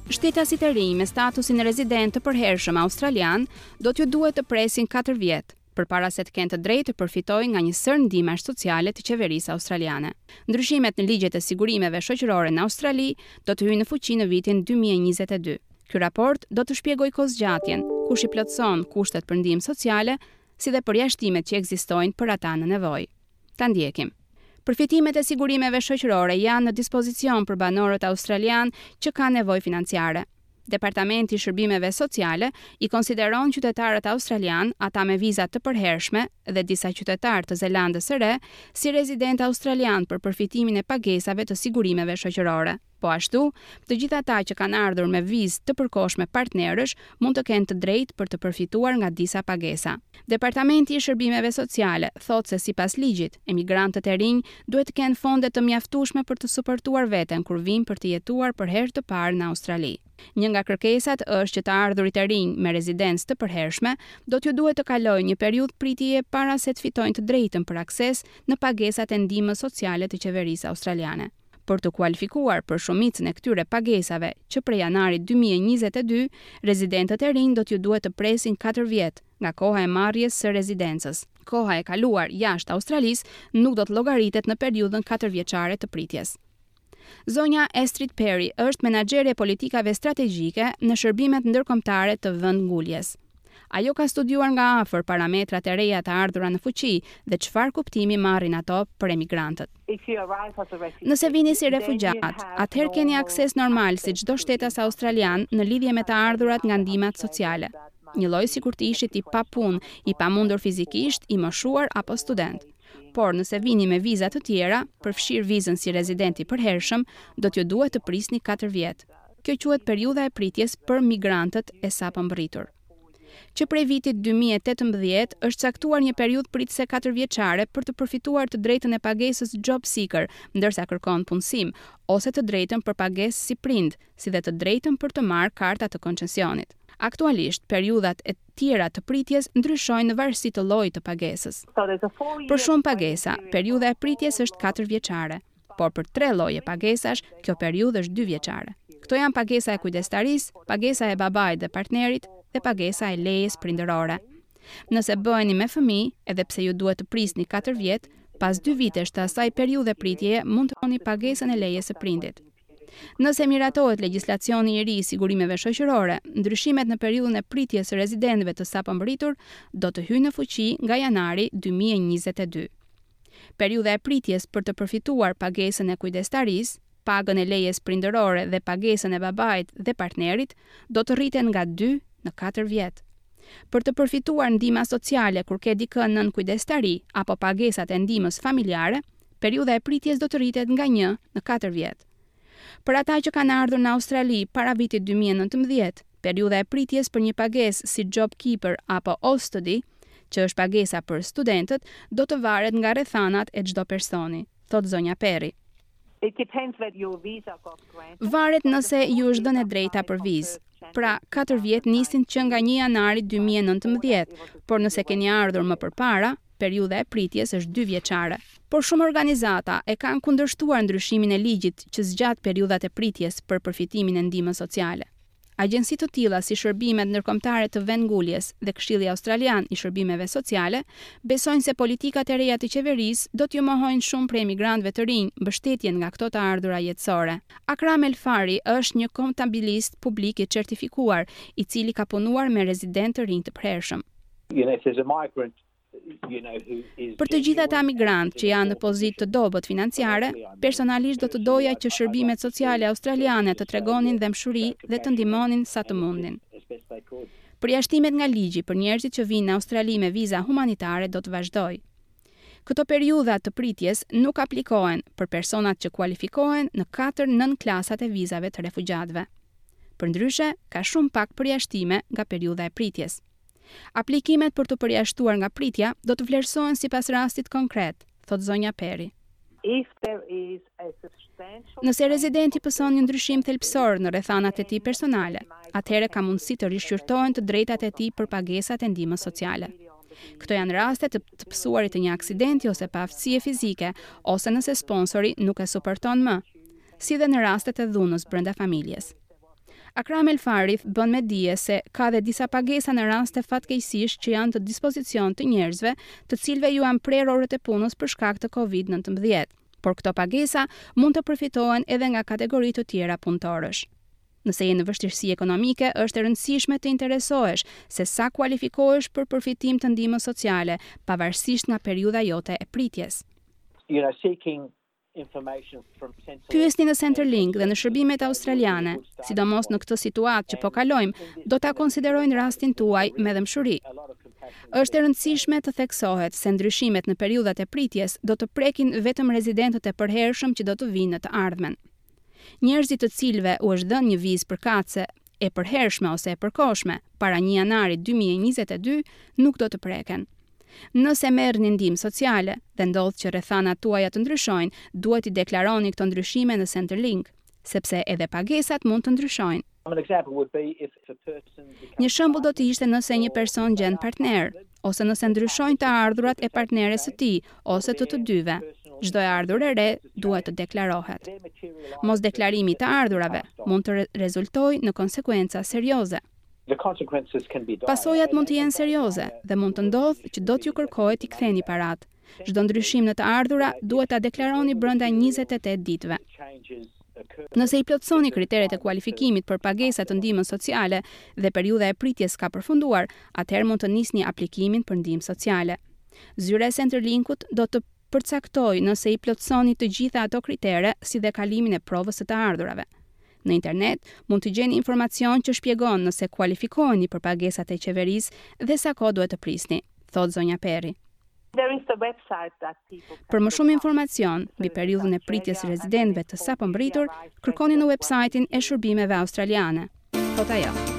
Shtetasit e rinj me statusin rezident të përhershëm australian do t'ju duhet të presin 4 vjet përpara se të kenë të drejtë të përfitojnë nga një sërë ndihmash sociale të qeverisë australiane. Ndryshimet në ligjet e sigurimeve shoqërore në Australi do të hyjnë në fuqi në vitin 2022. Ky raport do të shpjegojë kohëzgjatjen, kush i plotëson kushtet për ndihmë sociale, si dhe përjashtimet që ekzistojnë për ata në nevojë. Ta ndjekim. Përfitimet e sigurimeve shoqërore janë në dispozicion për banorët australian që kanë nevojë financiare. Departamenti i Shërbimeve Sociale i konsideron qytetarët australian, ata me viza të përhershme dhe disa qytetarë të Zelandës së Re si rezident australian për përfitimin e pagesave të sigurimeve shoqërore. Po ashtu, të gjithë ata që kanë ardhur me vizë të përkohshme partnerësh mund të kenë të drejtë për të përfituar nga disa pagesa. Departamenti i Shërbimeve Sociale thotë se sipas ligjit, emigrantët e rinj duhet të kenë fonde të mjaftueshme për të suportuar veten kur vijnë për të jetuar për herë të parë në Australi. Një nga kërkesat është që të ardhurit e rinj me rezidencë të përhershme do t'ju duhet të kalojnë një periudhë pritjeje para se të fitojnë të drejtën për akses në pagesat e ndihmës sociale të qeverisë australiane. Për të kualifikuar për shumicën e këtyre pagesave që prej janarit 2022, rezidentët e rinj do t'ju duhet të presin 4 vjet nga koha e marrjes së rezidencës. Koha e kaluar jashtë Australisë nuk do të llogaritet në periudhën 4 vjeçare të pritjes. Zonja Astrid Perry është menaxhere e politikave strategjike në shërbimet ndërkombëtare të vendnguljes. Ajo ka studiuar nga afër parametrat e reja të ardhura në fuqi dhe çfarë kuptimi marrin ato për emigrantët. Nëse vini si refugjat, atëherë keni akses normal si çdo shtetas australian në lidhje me të ardhurat nga ndihmat sociale. Një lloj sikur të ishit i papunë, i pamundur fizikisht, i moshuar apo student. Por nëse vini me viza të tjera, përfshirë vizën si rezident i përhershëm, do t'ju duhet të prisni 4 vjet. Kjo quhet periudha e pritjes për migrantët e sapo mbërritur. Që prej vitit 2018 është caktuar një periudhë pritëse 4 vjeçare për të përfituar të drejtën e pagesës job seeker, ndërsa kërkon punësim, ose të drejtën për pagesë si prind, si dhe të drejtën për të marrë karta të koncesionit. Aktualisht, periudhat e tjera të pritjes ndryshojnë në varësi të llojit të pagesës. Për shumë pagesa, periudha e pritjes është 4 vjeçare por për tre lloje pagesash, kjo periudhë është 2 vjeçare. Këto janë pagesa e kujdestarisë, pagesa e babait dhe partnerit dhe pagesa e lejes prindërore. Nëse bëheni me fëmijë, edhe pse ju duhet të prisni 4 vjet, pas 2 vitesh të asaj periudhe pritjeje mund të kërkoni pagesën e lejes së prindit. Nëse miratohet legjislacioni i ri i sigurimeve shoqërore, ndryshimet në periudhën e pritjes së rezidentëve të sapo mbërritur do të hyjnë në fuqi nga janari 2022. Periudha e pritjes për të përfituar pagesën e kujdestarisë, pagën e lejes prindërore dhe pagesën e babait dhe partnerit do të rriten nga 2 në 4 vjet. Për të përfituar ndihma sociale kur ke dikë nën kujdestari apo pagesat e ndihmës familjare, periudha e pritjes do të rritet nga 1 në 4 vjet. Për ata që kanë ardhur në Australi para vitit 2019, periudha e pritjes për një pagesë si JobKeeper apo Austudy, që është pagesa për studentët, do të varet nga rrethanat e çdo personi, thot zonja Perry. Varet nëse ju është dhënë e drejta për vizë. Pra, 4 vjet nisin që nga 1 janari 2019, por nëse keni ardhur më përpara, periudha e pritjes është 2 vjeçare. Por shumë organizata e kanë kundërshtuar ndryshimin e ligjit që zgjat periudhat e pritjes për përfitimin e ndihmës sociale. Agjensi të tilla si shërbimet ndërkombëtare të vendnguljes dhe Këshilli Australian i Shërbimeve Sociale besojnë se politikat e reja të qeverisë do t'ju mohojnë shumë prej emigrantëve të rinj mbështetjen nga këto të ardhura jetësore. Akram El Fari është një kontabilist publik i certifikuar, i cili ka punuar me rezident të rinj të përhershëm. You know, if there's a migrant Për të gjithë ata migrantë që janë në pozitë të dobët financiare, personalisht do të doja që shërbimet sociale australiane të tregonin dhembshuri dhe të ndihmonin sa të mundin. Përjashtimet nga ligji për njerëzit që vinë në Australi me viza humanitare do të vazhdojë. Këto periudha të pritjes nuk aplikohen për personat që kualifikohen në katër nën klasat e vizave të refugjatëve. Përndryshe, ka shumë pak përjashtime nga periudha e pritjes. Aplikimet për të përjashtuar nga pritja do të vlerësohen sipas rastit konkret, thot zonja Perry. Nëse rezidenti pëson një ndryshim thelbësor në rrethanat e tij personale, atëherë ka mundësi të rishqyrtohen të drejtat e tij për pagesat e ndihmës sociale. Këto janë raste të të pësuarit të një aksidenti ose paaftësie fizike, ose nëse sponsori nuk e suporton më, si dhe në rastet e dhunës brenda familjes. Akram El Farith bën me dije se ka dhe disa pagesa në raste fatkeqësish që janë të dispozicion të njerëzve, të cilëve ju janë prerë orët e punës për shkak të Covid-19. Por këto pagesa mund të përfitohen edhe nga kategori të tjera punëtorësh. Nëse je në vështirësi ekonomike, është e rëndësishme të interesohesh se sa kualifikohesh për përfitim të ndihmës sociale, pavarësisht nga periudha jote e pritjes. You know, seeking Pyesni në Centrelink dhe në shërbimet australiane, sidomos në këtë situatë që po kalojmë, do ta konsiderojnë rastin tuaj me dhembshuri. Është e rëndësishme të theksohet se ndryshimet në periudhat e pritjes do të prekin vetëm rezidentët e përhershëm që do të vijnë në të ardhmen. Njerëzit të cilëve u është dhënë një vizë përkatëse e përhershme ose e përkohshme para 1 janarit 2022 nuk do të preken. Nëse merrni ndihmë sociale dhe ndodh që rrethanat tuaja të ndryshojnë, duhet t'i deklaroni këto ndryshime në Centrelink, sepse edhe pagesat mund të ndryshojnë. Një shembull do të ishte nëse një person gjen partner, ose nëse ndryshojnë të ardhurat e partneres së tij ose të të dyve. Çdo e ardhur e re duhet të deklarohet. Mos deklarimi i të ardhurave mund të rezultojë në konsekuenca serioze. Pasojat mund të jenë serioze dhe mund të ndodhë që do t'ju kërkohet t'i ktheni paratë. Çdo ndryshim në të ardhura duhet ta deklaroni brenda 28 ditëve. Nëse i plotësoni kriteret e kualifikimit për pagesa të ndihmës sociale dhe periudha e pritjes ka përfunduar, atëherë mund të nisni aplikimin për ndihmë sociale. Zyra e Centrelinkut do të përcaktojë nëse i plotësoni të gjitha ato kritere si dhe kalimin e provës së të ardhurave. Në internet mund të gjeni informacion që shpjegon nëse kualifikoheni për pagesat e qeverisë dhe sa kohë duhet të prisni, thotë zonja Perry. Për më shumë informacion mbi periudhën e pritjes së rezidentëve të sapo mbërritur, kërkoni në website-in e shërbimeve australiane, thotë ajo.